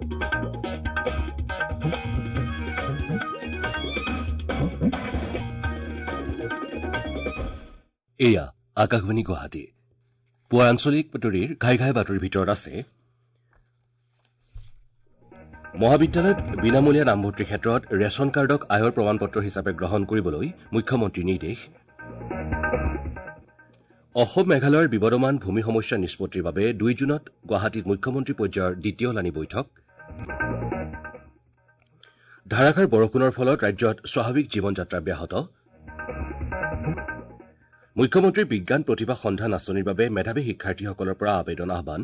এয়া আকাশবাণী গুৱাহাটী। পুৱাৰ আঞ্চলিক বাতৰিৰ ঘাই ঘাই বাতৰিৰ ভিতৰত আছে মহাবিদ্যালয়ত বিনামূলীয়া নামভৰ্তিৰ ক্ষেত্ৰত ৰেচন কাৰ্ডক আয়ৰ প্ৰমাণপত্ৰ হিচাপে গ্ৰহণ কৰিবলৈ মুখ্যমন্ত্ৰীৰ নিৰ্দেশ। অসম মেঘালয়ৰ বিবদমান ভূমি সমস্যা নিষ্পত্তিৰ বাবে 2 জুনত গুৱাহাটীত মুখ্যমন্ত্ৰী পৰ্যায়ৰ দ্বিতীয় লানি বৈঠক। ধাৰাসাৰ বৰষুণৰ ফলত ৰাজ্যত স্বাভাৱিক জীৱনযাত্ৰা ব্যাহত। মুখ্যমন্ত্ৰীৰ বিজ্ঞান প্ৰতিভা সন্ধান আঁচনিৰ বাবে মেধাৱী শিক্ষাৰ্থীসকলৰ পৰা আবেদন আহ্বান।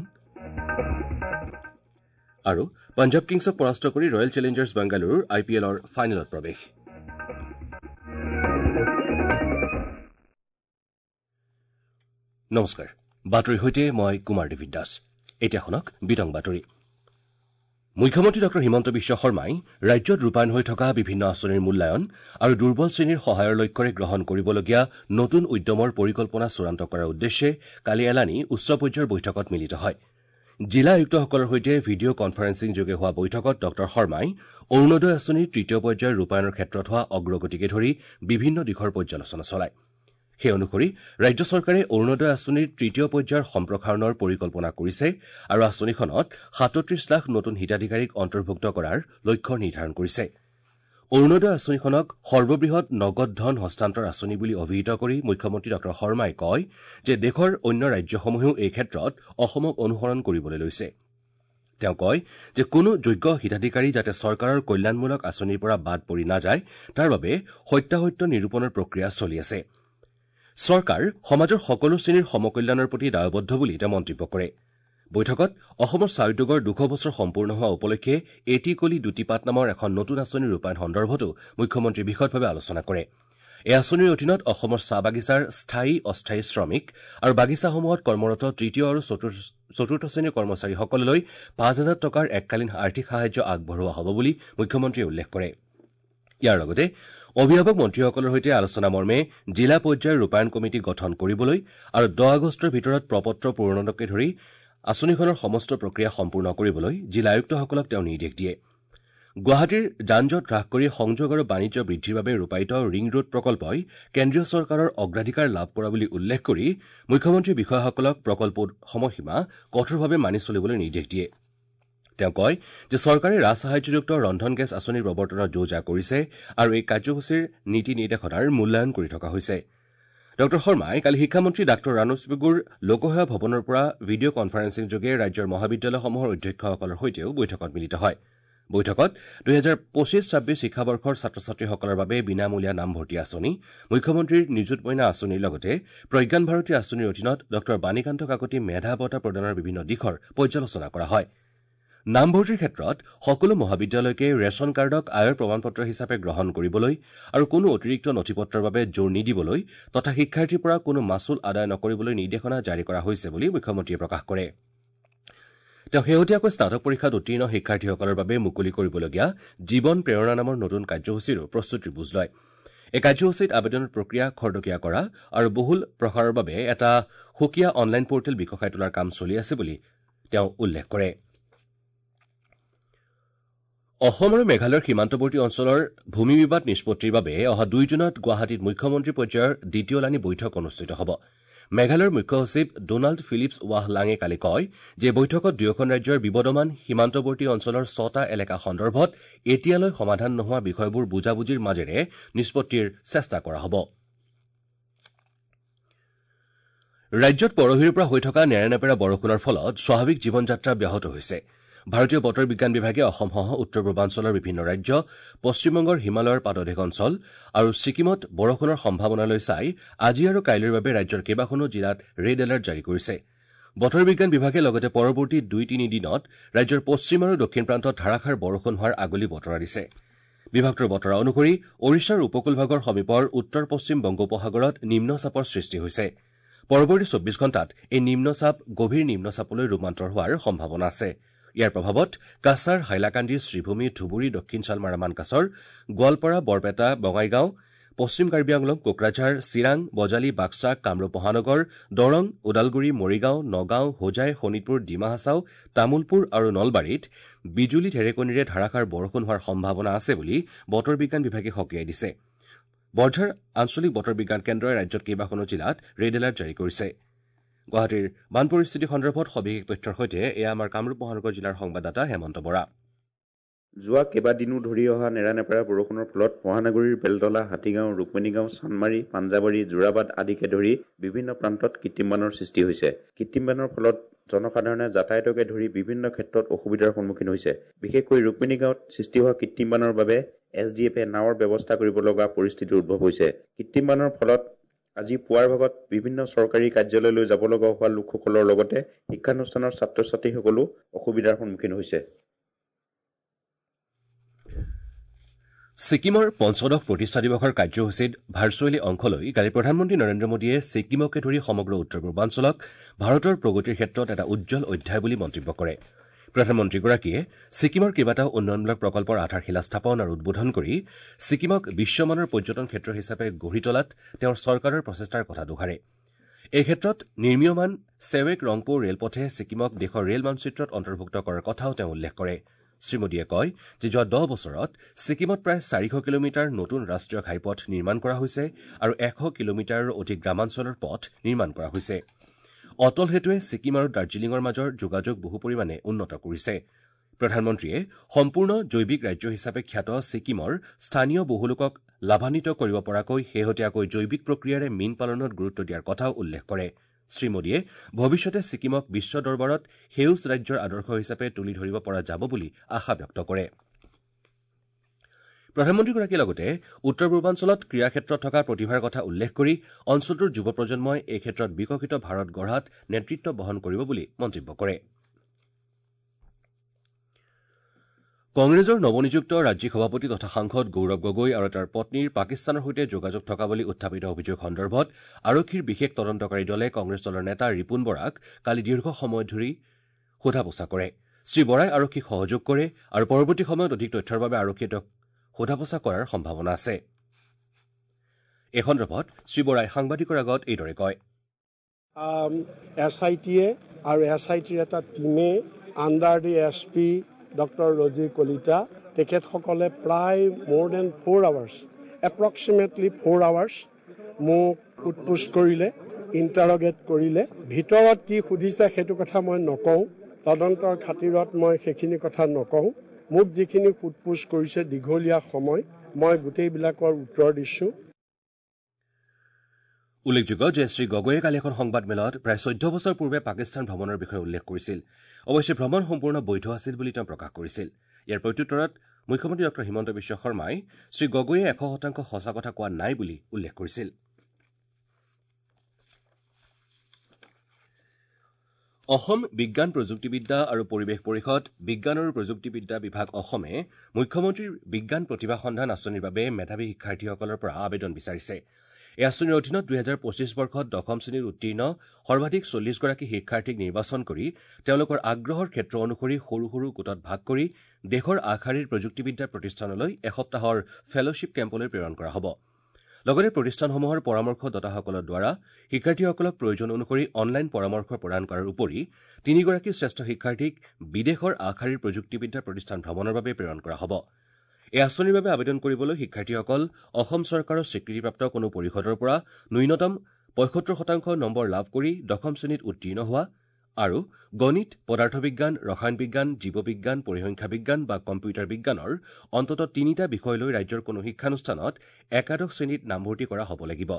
আৰু পঞ্জাৱ কিংছক পৰাস্ত কৰি ৰয়েল চেলেঞ্জাৰ্ছ বাংগালুৰুৰ আই পি এলৰ ফাইনেলত প্ৰৱেশ। নমস্কাৰ, বাতৰিৰ সৈতে মই কুমাৰ দেৱী দাস। এতিয়া শুনক বিতং বাতৰি। মুখ্যমন্ত্ৰী ডঃ হিমন্ত বিশ্ব শৰ্মাই ৰাজ্যত ৰূপায়ণ হৈ থকা বিভিন্ন আঁচনিৰ মূল্যায়ন আৰু দুৰ্বল শ্ৰেণীৰ সহায়ৰ লক্ষ্যৰে গ্ৰহণ কৰিবলগীয়া নতুন উদ্যমৰ পৰিকল্পনা চূড়ান্ত কৰাৰ উদ্দেশ্যে কালি এলানি উচ্চ পৰ্যায়ৰ বৈঠকত মিলিত হয়। জিলা আয়ুক্তসকলৰ সৈতে ভিডিঅ' কনফাৰেন্সিং যোগে হোৱা বৈঠকত ডঃ শৰ্মাই অৰুণোদয় আঁচনিৰ তৃতীয় পৰ্যায়ৰ ৰূপায়ণৰ ক্ষেত্ৰত হোৱা অগ্ৰগতিকে ধৰি বিভিন্ন দিশৰ পৰ্যালোচনা চলায়। সেই অনুসৰি ৰাজ্য চৰকাৰে অৰুণোদয় আঁচনিৰ তৃতীয় পৰ্যায়ৰ সম্প্ৰসাৰণৰ পৰিকল্পনা কৰিছে আৰু আঁচনিখনত 37 লাখ নতুন হিতাধিকাৰীক অন্তৰ্ভুক্ত কৰাৰ লক্ষ্য নিৰ্ধাৰণ কৰিছে। অৰুণোদয় আঁচনিখনক সৰ্ববৃহৎ নগদ ধন হস্তান্তৰ আঁচনি বুলি অভিহিত কৰি মুখ্যমন্ত্ৰী ডঃ শৰ্মাই কয় যে দেশৰ অন্য ৰাজ্যসমূহেও এই ক্ষেত্ৰত অসমক অনুসৰণ কৰিবলৈ লৈছে। তেওঁ কয় যে কোনো যোগ্য হিতাধিকাৰী যাতে চৰকাৰৰ কল্যাণমূলক আঁচনিৰ পৰা বাদ পৰি নাযায় তাৰ বাবে সত্যাসত্য নিৰূপণৰ প্ৰক্ৰিয়া চলি আছে। চৰকাৰ সমাজৰ সকলো শ্ৰেণীৰ সমকল্যাণৰ প্ৰতি দায়বদ্ধ বুলি তেওঁ মন্তব্য কৰে। বৈঠকত অসমৰ চাহ উদ্যোগৰ 200 বছৰ সম্পূৰ্ণ হোৱা উপলক্ষে এটি কলি দুটি পাত নামৰ এখন নতুন আঁচনি ৰূপায়ণ সন্দৰ্ভতো মুখ্যমন্ত্ৰীয়ে বিশদভাৱে আলোচনা কৰে। এই আঁচনিৰ অধীনত অসমৰ চাহ বাগিচাৰ স্থায়ী অস্থায়ী শ্ৰমিক আৰু বাগিচাসমূহত কৰ্মৰত তৃতীয় আৰু চতুৰ্থ শ্ৰেণীৰ কৰ্মচাৰীসকললৈ 5,000 টকাৰ এককালীন আৰ্থিক সাহায্য আগবঢ়োৱা হ'ব বুলি মুখ্যমন্ত্ৰীয়ে উল্লেখ কৰে। ইয়াৰ লগতে অভিভাৱক মন্ত্ৰীসকলৰ সৈতে আলোচনা মৰ্মে জিলা পৰ্যায়ৰ ৰূপায়ণ কমিটি গঠন কৰিবলৈ আৰু 10 আগষ্টৰ ভিতৰত প্ৰপত্ৰ পূৰণকে ধৰি আঁচনিখনৰ সমস্ত প্ৰক্ৰিয়া সম্পূৰ্ণ কৰিবলৈ জিলা আয়ুক্তসকলক তেওঁ নিৰ্দেশ দিয়ে। গুৱাহাটীৰ যান জঁট হ্ৰাস কৰি সংযোগ আৰু বাণিজ্য বৃদ্ধিৰ বাবে ৰূপায়িত ৰিং ৰোড প্ৰকল্পই কেন্দ্ৰীয় চৰকাৰৰ অগ্ৰাধিকাৰ লাভ কৰা বুলি উল্লেখ কৰি মুখ্যমন্ত্ৰীয়ে বিষয়াসকলক প্ৰকল্পৰ সময়সীমা কঠোৰভাৱে মানি চলিবলৈ নিৰ্দেশ দিয়ে। তেওঁ কয় যে চৰকাৰে ৰাজসাহায্যযুক্ত ৰন্ধন গেছ আঁচনিৰ প্ৰৱৰ্তনৰ যো-জা কৰিছে আৰু এই কাৰ্যসূচীৰ নীতি নিৰ্দেশনাৰ মূল্যায়ন কৰি থকা হৈছে। ডঃ শৰ্মাই কালি শিক্ষামন্ত্ৰী ডাঃ ৰানোজ পেগুৰ লোকসেৱা ভৱনৰ পৰা ভিডিঅ' কনফাৰেন্সিং যোগে ৰাজ্যৰ মহাবিদ্যালয়সমূহৰ অধ্যক্ষসকলৰ সৈতেও বৈঠকত মিলিত হয়। বৈঠকত 2025-26 শিক্ষাবৰ্ষৰ ছাত্ৰ ছাত্ৰীসকলৰ বাবে বিনামূলীয়া নামভৰ্তি আঁচনি, মুখ্যমন্ত্ৰীৰ নিযুত মইনা আঁচনিৰ লগতে প্ৰজ্ঞান ভাৰতী আঁচনিৰ অধীনত ডঃ বাণীকান্ত কাকতি মেধা বঁটা প্ৰদানৰ বিভিন্ন দিশৰ পৰ্যালোচনা কৰা হয়। নামভৰ্তিৰ ক্ষেত্ৰত সকলো মহাবিদ্যালয়কে ৰেচন কাৰ্ডক আয়ৰ প্ৰমাণপত্ৰ হিচাপে গ্ৰহণ কৰিবলৈ আৰু কোনো অতিৰিক্ত নথিপত্ৰৰ বাবে জোৰ নিদিবলৈ তথা শিক্ষাৰ্থীৰ পৰা কোনো মাচুল আদায় নকৰিবলৈ নিৰ্দেশনা জাৰি কৰা হৈছে বুলি মুখ্যমন্ত্ৰীয়ে প্ৰকাশ কৰে। তেওঁ শেহতীয়াকৈ স্নাতক পৰীক্ষাত উত্তীৰ্ণ শিক্ষাৰ্থীসকলৰ বাবে মুকলি কৰিবলগীয়া জীৱন প্ৰেৰণা নামৰ নতুন কাৰ্যসূচীৰো প্ৰস্তুতিৰ বুজ লয়। এই কাৰ্যসূচীত আবেদনৰ প্ৰক্ৰিয়া খৰতকীয়া কৰা আৰু বহুল প্ৰসাৰৰ বাবে এটা সুকীয়া অনলাইন পৰ্টেল বিকশাই তোলাৰ কাম চলি আছে বুলি তেওঁ উল্লেখ কৰে। অসম আৰু মেঘালয়ৰ সীমান্তৱৰ্তী অঞ্চলৰ ভূমি বিবাদ নিষ্পত্তিৰ বাবে অহা 2 জুনত গুৱাহাটীত মুখ্যমন্ত্ৰী পৰ্যায়ৰ দ্বিতীয় লানি বৈঠক অনুষ্ঠিত হ'ব। মেঘালয়ৰ মুখ্য সচিব ডোনাল্ড ফিলিপছ ৱাহলাঙে কালি কয় যে বৈঠকত দুয়োখন ৰাজ্যৰ বিবদমান সীমান্তৱৰ্তী অঞ্চলৰ 6টা এলেকা সন্দৰ্ভত এতিয়ালৈ সমাধান নোহোৱা বিষয়বোৰ বুজাবুজিৰ মাজেৰে নিষ্পত্তিৰ চেষ্টা কৰা হ'ব। ৰাজ্যত পৰহিৰ পৰা হৈ থকা নেৰানেপেৰা বৰষুণৰ ফলত স্বাভাৱিক জীৱনযাত্ৰা ব্যাহত হৈছে। ভাৰতীয় বতৰ বিজ্ঞান বিভাগে অসমসহ উত্তৰ পূৰ্বাঞ্চলৰ বিভিন্ন ৰাজ্য, পশ্চিমবংগৰ হিমালয়ৰ পাদদেশ অঞ্চল আৰু ছিকিমত বৰষুণৰ সম্ভাৱনালৈ চাই আজি আৰু কাইলৈৰ বাবে ৰাজ্যৰ কেইবাখনো জিলাত ৰেড এলাৰ্ট জাৰি কৰিছে। বতৰ বিজ্ঞান বিভাগে লগতে পৰৱৰ্তী 2-3 দিনত ৰাজ্যৰ পশ্চিম আৰু দক্ষিণ প্ৰান্তত ধাৰাসাৰ বৰষুণ হোৱাৰ আগলি বতৰা দিছে। বিভাগটোৰ বতৰা অনুসৰি ওড়িশাৰ উপকূলভাগৰ সমীপৰ উত্তৰ পশ্চিম বংগোপসাগৰত নিম্নচাপৰ সৃষ্টি হৈছে। পৰৱৰ্তী 24 ঘণ্টাত এই নিম্নচাপ গভীৰ নিম্নচাপলৈ ৰূপান্তৰ হোৱাৰ সম্ভাৱনা আছে। ইয়াৰ প্ৰভাৱত কাছাৰ, হাইলাকান্দি, শ্ৰীভূমি, ধুবুৰী, দক্ষিণ শালমাৰা, মানকাছৰ, গোৱালপাৰা, বৰপেটা, বঙাইগাঁও, পশ্চিম কাৰ্বি আংলং, কোকৰাঝাৰ, চিৰাং, বজালী, বাক্সা, কামৰূপ মহানগৰ, দৰং, ওদালগুৰি, মৰিগাঁও, নগাঁও, হোজাই, শোণিতপুৰ, ডিমা হাছাও, তামুলপুৰ আৰু নলবাৰীত বিজুলী ঢেৰেকনিৰে ধাৰাসাৰ বৰষুণ হোৱাৰ সম্ভাৱনা আছে বুলি বতৰ বিজ্ঞান বিভাগে সকীয়াই দিছে। বৰঝাৰ আঞ্চলিক বতৰ বিজ্ঞান কেন্দ্ৰই ৰাজ্যত কেইবাখনো জিলাত ৰেড এলাৰ্ট জাৰি কৰিছে। গুৱাহাটীৰ বান পৰিস্থিতি সন্দৰ্ভত সবিশেষ তথ্যৰ সৈতে এয়া আমাৰ কামৰূপ মহানগৰ জিলাৰ সংবাদদাতা হেমন্ত বৰা। যোৱা কেইবাদিনো ধৰি অহা নেৰানেপেৰা বৰষুণৰ ফলত মহানগৰীৰ বেলতলা, হাতীগাঁও, ৰুক্মিণীগাঁও, চানমাৰী, পাঞ্জাবাৰী, যোৰাবাট আদিকে ধৰি বিভিন্ন প্ৰান্তত কৃত্ৰিম বানৰ সৃষ্টি হৈছে। কৃত্ৰিম বানৰ ফলত জনসাধাৰণে যাতায়াতকে ধৰি বিভিন্ন ক্ষেত্ৰত অসুবিধাৰ সন্মুখীন হৈছে। বিশেষকৈ ৰুক্মিণীগাঁৱত সৃষ্টি হোৱা কৃত্ৰিম বানৰ বাবে এছ ডি এফে নাৱৰ ব্যৱস্থা কৰিব লগা পৰিস্থিতিৰ উদ্ভৱ হৈছে। কৃত্ৰিম বানৰ ফলত আজি পুৱাৰ ভাগত বিভিন্ন চৰকাৰী কাৰ্যালয়লৈ যাব লগা হোৱা লোকসকলৰ লগতে শিক্ষানুষ্ঠানৰ ছাত্ৰ ছাত্ৰীসকলো অসুবিধাৰ সন্মুখীন হৈছে। ছিকিমৰ পঞ্চদশ প্ৰতিষ্ঠা দিৱসৰ কাৰ্যসূচীত ভাৰ্চুৱেলি অংশ লৈ কালি প্ৰধানমন্ত্ৰী নৰেন্দ্ৰ মোদীয়ে ছিকিমকে ধৰি সমগ্ৰ উত্তৰ পূৰ্বাঞ্চলক ভাৰতৰ প্ৰগতিৰ ক্ষেত্ৰত এটা উজ্জ্বল অধ্যায় বুলি মন্তব্য কৰে। প্ৰধানমন্ত্ৰীগৰাকীয়ে ছিকিমৰ কেইবাটাও উন্নয়নমূলক প্ৰকল্পৰ আধাৰশিলা স্থাপন আৰু উদ্বোধন কৰি ছিকিমক বিশ্বমানৰ পৰ্যটন ক্ষেত্ৰ হিচাপে গঢ়ি তোলাত তেওঁৰ চৰকাৰৰ প্ৰচেষ্টাৰ কথা দোহাৰে। এই ক্ষেত্ৰত নিৰ্মীয়মান চেৱেক ৰংপো ৰেলপথে ছিকিমক দেশৰ ৰেল মানচিত্ৰত অন্তৰ্ভুক্ত কৰাৰ কথাও তেওঁ উল্লেখ কৰে। শ্ৰীমোদীয়ে কয় যে যোৱা 10 বছৰত ছিকিমত প্ৰায় 400 কিলোমিটাৰ নতুন ৰাষ্ট্ৰীয় ঘাইপথ নিৰ্মাণ কৰা হৈছে আৰু 100 কিলোমিটাৰৰো অধিক গ্ৰামাঞ্চলৰ পথ নিৰ্মাণ কৰা হৈছে। অটল সেতুৱে ছিকিম আৰু দাৰ্জিলিঙৰ মাজৰ যোগাযোগ বহু পৰিমাণে উন্নত কৰিছে। প্ৰধানমন্ত্ৰীয়ে সম্পূৰ্ণ জৈৱিক ৰাজ্য হিচাপে খ্যাত ছিকিমৰ স্থানীয় বহু লোকক লাভান্বিত কৰিব পৰাকৈ শেহতীয়াকৈ জৈৱিক প্ৰক্ৰিয়াৰে মীন পালনত গুৰুত্ব দিয়াৰ কথাও উল্লেখ কৰে। শ্ৰীমোদীয়ে ভৱিষ্যতে ছিকিমক বিশ্ব দৰবাৰত সেউজ ৰাজ্যৰ আদৰ্শ হিচাপে তুলি ধৰিব পৰা যাব বুলি আশা ব্যক্ত কৰে। প্ৰধানমন্ত্ৰীগৰাকীয়ে লগতে উত্তৰ পূৰ্বাঞ্চলত ক্ৰীড়া ক্ষেত্ৰত থকা প্ৰতিভাৰ কথা উল্লেখ কৰি অঞ্চলটোৰ যুৱ প্ৰজন্মই এই ক্ষেত্ৰত বিকশিত ভাৰত গঢ়াত নেতৃত্ব বহন কৰিব বুলি মন্তব্য কৰে। কংগ্ৰেছৰ নৱনিযুক্ত ৰাজ্যিক সভাপতি তথা সাংসদ গৌৰৱ গগৈ আৰু তেওঁৰ পত্নীৰ পাকিস্তানৰ সৈতে যোগাযোগ থকা বুলি উত্থাপিত অভিযোগ সন্দৰ্ভত আৰক্ষীৰ বিশেষ তদন্তকাৰী দলে কংগ্ৰেছ দলৰ নেতা ৰিপুণ বৰাক কালি দীৰ্ঘ সময় ধৰি সোধা পোছা কৰে। শ্ৰী বৰাই আৰক্ষীক সহযোগ কৰে আৰু পৰৱৰ্তী সময়ত অধিক তথ্যৰ বাবে আৰক্ষীয়ে তেওঁক সোধা পোছা কৰাৰ সম্ভাৱনা আছে। এই সন্দৰ্ভত শ্ৰী বৰাই সাংবাদিকৰ আগত এইদৰে কয়। এছ I টিয়ে আৰু এছ I টিৰ এটা টীমে under the S P doctor Rajiv Kalita তেখেতসকলে প্ৰায় more than 4 hours, approximately 4 hours মোক সোধ-পোছ কৰিলে, ইণ্টাৰগেট কৰিলে। ভিতৰত কি সুধিছে সেইটো কথা মই নকওঁ, তদন্তৰ খাতিৰত মই সেইখিনি কথা নকওঁ। মোক যিখিনি সোধ-পোছ কৰিছে দীঘলীয়া সময়, মই গোটেইবিলাকৰ উত্তৰ দিছোঁ। উল্লেখযোগ্য যে শ্ৰী গগৈয়ে কালি এখন সংবাদমেলত প্ৰায় 14 বছৰ পূৰ্বে পাকিস্তান ভ্ৰমণৰ বিষয়ে উল্লেখ কৰিছিল। অৱশ্যে ভ্ৰমণ সম্পূৰ্ণ বৈধ আছিল বুলি তেওঁ প্ৰকাশ কৰিছিল। ইয়াৰ প্ৰত্যুত্তৰত মুখ্যমন্ত্ৰী ডঃ হিমন্ত বিশ্ব শৰ্মাই শ্ৰী গগৈয়ে 100% সঁচা কথা কোৱা নাই বুলি উল্লেখ কৰিছিল। অসম বিজ্ঞান প্ৰযুক্তিবিদ্যা আৰু পৰিৱেশ পৰিষদ বিজ্ঞান আৰু প্ৰযুক্তিবিদ্যা বিভাগ অসমে মুখ্যমন্ত্ৰীৰ বিজ্ঞান প্ৰতিভা সন্ধান আঁচনিৰ বাবে মেধাৱী শিক্ষাৰ্থীসকলৰ পৰা আবেদন বিচাৰিছে। এই আঁচনিৰ অধীনত 2025 বৰ্ষত দশম শ্ৰেণীত উত্তীৰ্ণ সৰ্বাধিক 40 গৰাকী শিক্ষাৰ্থীক নিৰ্বাচন কৰি তেওঁলোকৰ আগ্ৰহৰ ক্ষেত্ৰ অনুসৰি সৰু সৰু গোটত ভাগ কৰি দেশৰ আগশাৰীৰ প্ৰযুক্তিবিদ্যা প্ৰতিষ্ঠানলৈ এসপ্তাহৰ ফেলশ্বিপ কেম্পলৈ প্ৰেৰণ কৰা হ'ব। লগতে প্ৰতিষ্ঠানসমূহৰ পৰামৰ্শদাতাসকলৰ দ্বাৰা শিক্ষাৰ্থীসকলক প্ৰয়োজন অনুসৰি অনলাইন পৰামৰ্শ প্ৰদান কৰাৰ উপৰি 3 গৰাকী শ্ৰেষ্ঠ শিক্ষাৰ্থীক বিদেশৰ আগশাৰীৰ প্ৰযুক্তিবিদ্যা প্ৰতিষ্ঠান ভ্ৰমণৰ বাবে প্ৰেৰণ কৰা হ'ব। এই আঁচনিৰ বাবে আবেদন কৰিবলৈ শিক্ষাৰ্থীসকল অসম চৰকাৰৰ স্বীকৃতিপ্ৰাপ্ত কোনো পৰিষদৰ পৰা ন্যূনতম 75% নম্বৰ লাভ কৰি দশম শ্ৰেণীত উত্তীৰ্ণ হোৱা আৰু গণিত, পদাৰ্থ বিজ্ঞান, ৰসায়ন বিজ্ঞান, জীৱবিজ্ঞান, পৰিসংখ্যা বিজ্ঞান বা কম্পিউটাৰ বিজ্ঞানৰ অন্ততঃ 3টা বিষয় লৈ ৰাজ্যৰ কোনো শিক্ষানুষ্ঠানত একাদশ শ্ৰেণীত নামভৰ্তি কৰা হ'ব লাগিব।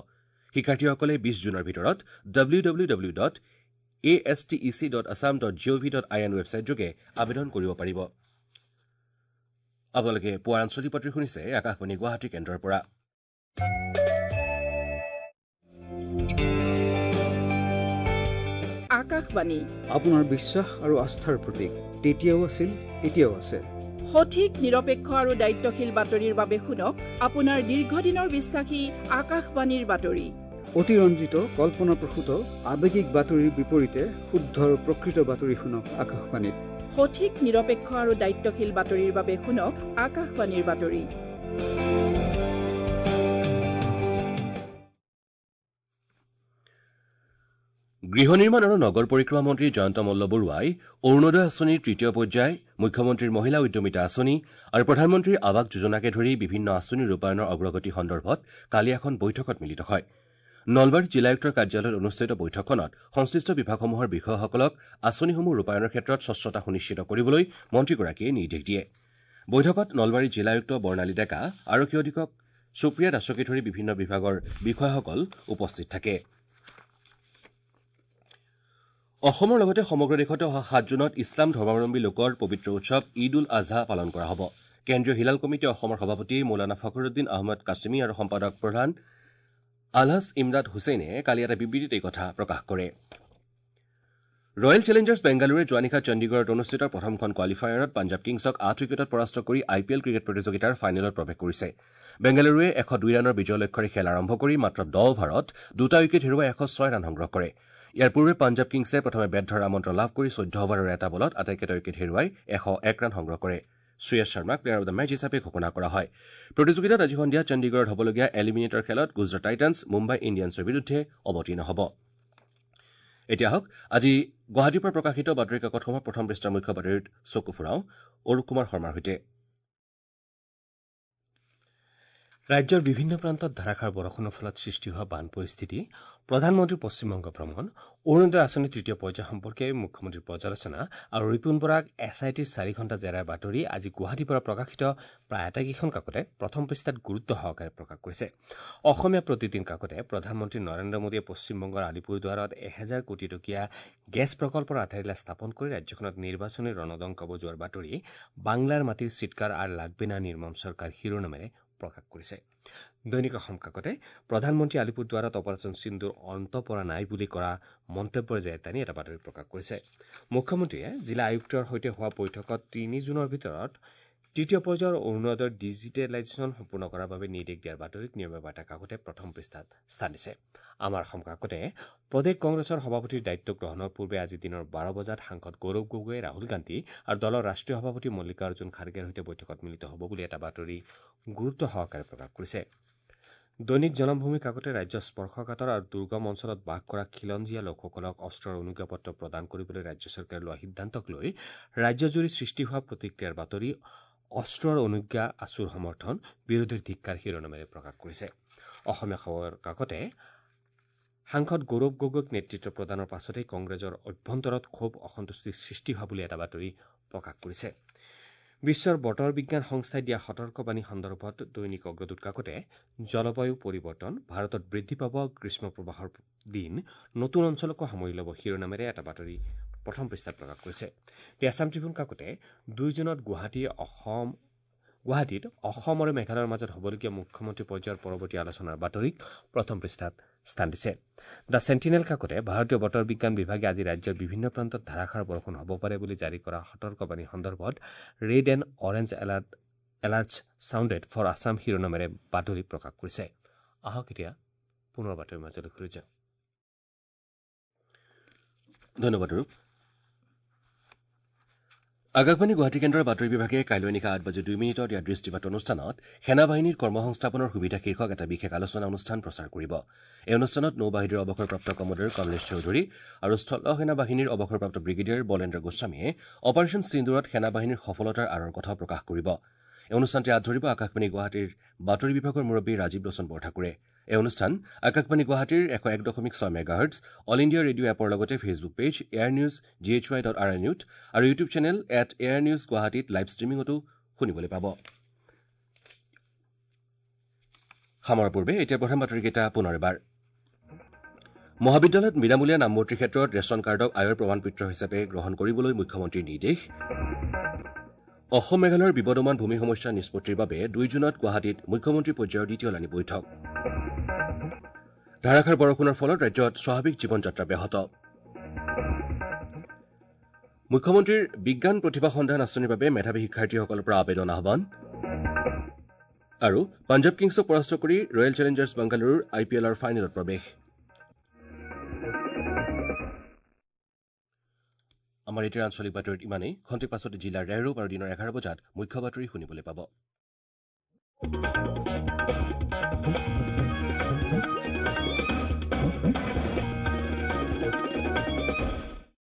শিক্ষাৰ্থীসকলে 20 জুনৰ ভিতৰত www.astec.assam.gov.in ৱেবছাইটযোগে আবেদন কৰিব পাৰিব। আপোনালোকে পুৱাৰ আঞ্চলিক বাতৰি শুনিছে আকাশবাণী গুৱাহাটী কেন্দ্ৰৰ পৰা। আকাশবাণী আপোনাৰ বিশ্বাস আৰু আস্থাৰ প্ৰতীক, তেতিয়াও আছিল, এতিয়াও আছে। সঠিক, নিৰপেক্ষ আৰু দায়িত্বশীল বাতৰিৰ বাবে শুনক আপোনাৰ দীৰ্ঘদিনৰ বিশ্বাসী আকাশবাণীৰ বাতৰি। অতিৰঞ্জিত, কল্পনাপ্ৰসূত, আৱেগিক বাতৰিৰ বিপৰীতে শুদ্ধ আৰু প্ৰকৃত বাতৰি শুনক আকাশবাণীত। সঠিক, নিৰপেক্ষ আৰু দায়িত্বশীল বাতৰিৰ বাবে শুনক আকাশবাণীৰ বাতৰি। গৃহ নিৰ্মাণ আৰু নগৰ পৰিক্ৰমা মন্ত্ৰী জয়ন্ত মল্ল বৰুৱাই অৰুণোদয় আঁচনিৰ তৃতীয় পৰ্যায়, মুখ্যমন্ত্ৰীৰ মহিলা উদ্যমিতা আঁচনি আৰু প্ৰধানমন্ত্ৰীৰ আৱাস যোজনাকে ধৰি বিভিন্ন আঁচনিৰ ৰূপায়ণৰ অগ্ৰগতি সন্দৰ্ভত কালি এখন বৈঠকত মিলিত হয়। নলবাৰী জিলা আয়ুক্তৰ কাৰ্যালয়ত অনুষ্ঠিত বৈঠকখনত সংশ্লিষ্ট বিভাগসমূহৰ বিষয়াসকলক আঁচনিসমূহ ৰূপায়ণৰ ক্ষেত্ৰত স্বচ্ছতা সুনিশ্চিত কৰিবলৈ মন্ত্ৰীগৰাকীয়ে নিৰ্দেশ দিয়ে। বৈঠকত নলবাৰী জিলা আয়ুক্ত বৰ্ণালী ডেকা, আৰক্ষী অধীক্ষক সুপ্ৰিয়া দাসকে ধৰি বিভিন্ন বিভাগৰ বিষয়াসকল উপস্থিত থাকে। অসমৰ লগতে সমগ্ৰ দেশতে অহা ৭ জুনত ইছলাম ধৰ্মাৱলম্বী লোকৰ পবিত্ৰ উৎসৱ ঈদ উল আজহা পালন কৰা হ'ব। কেন্দ্ৰীয় হিলাল কমিটি অসমৰ সভাপতি মৌলানা ফখৰুদ্দিন আহমেদ কাছিমি আৰু সম্পাদক প্ৰধান আলহাজ ইমদাদ হুছেইনে কালি এটা বিবৃতিত এই কথা প্ৰকাশ কৰে। ৰয়েল চেলেঞ্জাৰ্ছ বেংগালুৰুৱে যোৱা নিশা চণ্ডীগড়ত অনুষ্ঠিত প্ৰথমখন কোৱালিফায়াৰত পাঞ্জাৱ কিংছক ৮ উইকেটত পৰাস্ত কৰি আই পি এল ক্ৰিকেট প্ৰতিযোগিতাৰ ফাইনেলত প্ৰৱেশ কৰিছে। বেংগালুৰুৱে ১০২ ৰানৰ বিজয় লক্ষ্যৰে খেল আৰম্ভ কৰি মাত্ৰ ১০ অভাৰত ২টা উইকেট হেৰুৱাই ১০৬ ৰান সংগ্ৰহ কৰে। ইয়াৰ পূৰ্বে পাঞ্জাৱ কিংছে প্ৰথমে বেট ধৰাৰ আমন্ত্ৰণ লাভ কৰি ১৪ অভাৰৰ এটা বলত আটাইকেইটা উইকেট হেৰুৱাই ১০১ ৰান সংগ্ৰহ কৰে। শ্ৰেয়াছ শৰ্মাক প্লেয়াৰ অব the match হিচাপে ঘোষণা কৰা হয়। প্ৰতিযোগিতাত আজি সন্ধিয়া চণ্ডীগড়ত হ'বলগীয়া এলিমিনেটৰ খেলত গুজৰাট টাইটানছ মুম্বাই ইণ্ডিয়ানছৰ বিৰুদ্ধে অৱতীৰ্ণ হ'ব। এতিয়া আহক আজি গুৱাহাটীৰ পৰা প্ৰকাশিত বাতৰি কাকতসমূহৰ প্ৰথম পৃষ্ঠাৰ মুখ্য বাতৰিত চকু ফুৰাওঁ অৰূপ কুমাৰ শৰ্মাৰ সৈতে। ৰাজ্যৰ বিভিন্ন প্ৰান্তত ধাৰাসাৰ বৰষুণৰ ফলত সৃষ্টি হোৱা বান পৰিস্থিতি, প্ৰধানমন্ত্ৰীৰ পশ্চিমবংগ ভ্ৰমণ, অৰুণোদয় আঁচনিৰ তৃতীয় পৰ্যায় সম্পৰ্কে মুখ্যমন্ত্ৰীৰ পৰ্যালোচনা আৰু ৰিপুণ বৰাক এছ I টিৰ ৪ ঘণ্টা জেৰাৰ বাতৰি আজি গুৱাহাটীৰ পৰা প্ৰকাশিত প্ৰায় আটাইকেইখন কাকতে প্ৰথম পৃষ্ঠাত গুৰুত্ব সহকাৰে প্ৰকাশ কৰিছে। অসমীয়া প্ৰতিদিন কাকতে প্ৰধানমন্ত্ৰী নৰেন্দ্ৰ মোদীয়ে পশ্চিমবংগৰ আলিপুৰদুৱাৰত ১০০০ কোটি টকীয়া গেছ প্ৰকল্পৰ আধাৰশিলা স্থাপন কৰি ৰাজ্যখনত নিৰ্বাচনী ৰণদংকা বজোৱাৰ বাতৰি বাংলাৰ মাটিৰ চিৎকাৰ আৰু লাগবে না নিৰ্মম চৰকাৰ শিৰোনামেৰে প্ৰকাশ কৰিছে। দৈনিক অসম কাকতে প্ৰধানমন্ত্ৰী আলিপুৰদুৱাৰত অপাৰেচন সিন্দুৰ অন্ত পৰা নাই বুলি কৰা মন্তব্যৰ জেৰ টানি এটা বাতৰি প্ৰকাশ কৰিছে। মুখ্যমন্ত্ৰীয়ে জিলা আয়ুক্তৰ সৈতে হোৱা বৈঠকত ৩ জুনৰ ভিতৰত তৃতীয় পৰ্যায়ৰ অৰুণোদয়ৰ ডিজিটেলাইজেশ্যন সম্পূৰ্ণ কৰাৰ বাবে নিৰ্দেশ দিয়াৰ বাতৰিক নিয়মীয়া বাৰ্তা কাকতে প্ৰথম পৃষ্ঠাত স্থান দিছে। আমাৰ অসম কাকতে প্ৰদেশ কংগ্ৰেছৰ সভাপতিৰ দায়িত্ব গ্ৰহণৰ পূৰ্বে আজি দিনৰ ১২ বজাত সাংসদ গৌৰৱ গগৈয়ে ৰাহুল গান্ধী আৰু দলৰ ৰাষ্ট্ৰীয় সভাপতি মল্লিকাৰ্জুন খাৰ্গেৰ সৈতে বৈঠকত মিলিত হ'ব বুলি এটা বাতৰি গুৰুত্ব সহকাৰে প্ৰকাশ কৰিছে। দৈনিক জনমভূমি কাকতে ৰাজ্যৰ স্পৰ্শকাতৰ আৰু দুৰ্গম অঞ্চলত বাস কৰা খিলঞ্জীয়া লোকসকলক অস্ত্ৰৰ অনুজ্ঞাপত্ৰ প্ৰদান কৰিবলৈ ৰাজ্য চৰকাৰে লোৱা সিদ্ধান্তক লৈ ৰাজ্যজুৰি সৃষ্টি হোৱা প্ৰতিক্ৰিয়াৰ বাতৰি অস্ত্ৰৰ অনুজ্ঞা আছুৰ সমৰ্থন বিৰোধীৰ ধিক্কাৰ শিৰোনামেৰে প্ৰকাশ কৰিছে। অসমীয়া খবৰ কাকতে সাংসদ গৌৰৱ গগৈক নেতৃত্ব প্ৰদানৰ পাছতেই কংগ্ৰেছৰ অভ্যন্তৰত ক্ষোভ অসন্তুষ্টিৰ সৃষ্টি হোৱা বুলি এটা বাতৰি প্ৰকাশ কৰিছে। বিশ্বৰ বতৰ বিজ্ঞান সংস্থাই দিয়া সতৰ্কবাণী সন্দৰ্ভত দৈনিক অগ্ৰদূত কাকতে জলবায়ু পৰিৱৰ্তন, ভাৰতত বৃদ্ধি পাব গ্ৰীষ্ম প্ৰবাহৰ দিন, নতুন অঞ্চলকো সামৰি ল'ব শিৰোনামেৰে এটা বাতৰি প্ৰথম পৃষ্ঠাত প্ৰকাশ কৰিছে। দি আছাম ট্ৰিবিউন কাকতে ২ জুনত গুৱাহাটীত অসম আৰু মেঘালয়ৰ মাজত হ'বলগীয়া মুখ্যমন্ত্ৰী পৰ্যায়ৰ পৰৱৰ্তী আলোচনাৰ বাতৰিক প্ৰথম পৃষ্ঠাত স্থান দিছে। The sentinel কাকতে ভাৰতীয় বতৰ বিজ্ঞান বিভাগে আজি ৰাজ্যৰ বিভিন্ন প্ৰান্তত ধাৰাসাৰ বৰষুণ হ'ব পাৰে বুলি জাৰি কৰা সতৰ্কবাণী সন্দৰ্ভত red and orange alerts sounded for Assam শিৰোনামেৰে বাতৰি প্ৰকাশ কৰিছে। আহক এতিয়া পুনৰ বাতৰিৰ মাজলৈ ঘূৰি যাওঁ। ধন্যবাদ ৰূপ। আকাশবাণী গুৱাহাটী কেন্দ্ৰৰ বাতৰি বিভাগে কাইলৈ নিশা ৮:০২ ইয়াৰ দৃষ্টিপাত অনুষ্ঠানত সেনাবাহিনীৰ কৰ্মসংস্থাপনৰ সুবিধা শীৰ্ষক এটা বিশেষ আলোচনা অনুষ্ঠান প্ৰচাৰ কৰিব। এই অনুষ্ঠানত নৌবাহিনীৰ অৱসৰপ্ৰাপ্ত কমাণ্ডাৰ কমলেশ চৌধুৰী আৰু স্থল সেনাবাহিনীৰ অৱসৰপ্ৰাপ্ত ব্ৰিগেডিয়াৰ বলেন্দ্ৰ গোস্বামীয়ে অপাৰেচন সিন্দুৰত সেনাবাহিনীৰ সফলতাৰ আঁৰৰ কথাও প্ৰকাশ কৰিব। এই অনুষ্ঠানটি আঁত ধৰিব আকাশবাণী গুৱাহাটীৰ বাতৰি বিভাগৰ মুৰব্বী ৰাজীৱ লোচন বৰঠাকুৰে। এই অনুষ্ঠান আকাশবাণী গুৱাহাটীৰ 101.6 মেগাহাৰ্টছ, অল ইণ্ডিয়া ৰেডিঅ' এপৰ লগতে Facebook page air news G H Y dot R N ইউত আৰু YouTube channel at air news গুৱাহাটীত লাইভ ষ্ট্ৰীমিঙতো শুনিবলৈ পাব। সামৰাৰ পূৰ্বে এতিয়া প্ৰধান বাতৰিকেইটা পুনৰ এবাৰ। মহাবিদ্যালয়ত বিনামূলীয়া নামভৰ্তিৰ ক্ষেত্ৰত ৰেচন কাৰ্ডক আয়ৰ প্ৰমাণপত্ৰ হিচাপে গ্ৰহণ কৰিবলৈ মুখ্যমন্ত্ৰীৰ নিৰ্দেশ। অসম মেঘালয়ৰ বিবদমান ভূমি সমস্যা নিষ্পত্তিৰ বাবে ২ জুনত গুৱাহাটীত মুখ্যমন্ত্ৰী পৰ্যায়ৰ দ্বিতীয় লানি বৈঠক। ধাৰাসাৰ বৰষুণৰ ফলত ৰাজ্যত স্বাভাৱিক জীৱনযাত্ৰা ব্যাহত। মুখ্যমন্ত্ৰীৰ বিজ্ঞান প্ৰতিভা সন্ধান আঁচনিৰ বাবে মেধাৱী শিক্ষাৰ্থীসকলৰ পৰা আবেদন আহ্বান। আৰু পাঞ্জাৱ কিংছক পৰাস্ত কৰি ৰয়েল চেলেঞ্জাৰ্ছ বাংগালুৰুৰ আই পি এলৰ ফাইনেলত প্ৰৱেশ। আমাৰ এতিয়াৰ আঞ্চলিক বাতৰিত ইমানেই। খন্তেক পাছতে জিলাৰ ৰেহৰূপ আৰু দিনৰ ১১ বজাত মুখ্য বাতৰি শুনিবলৈ পাব।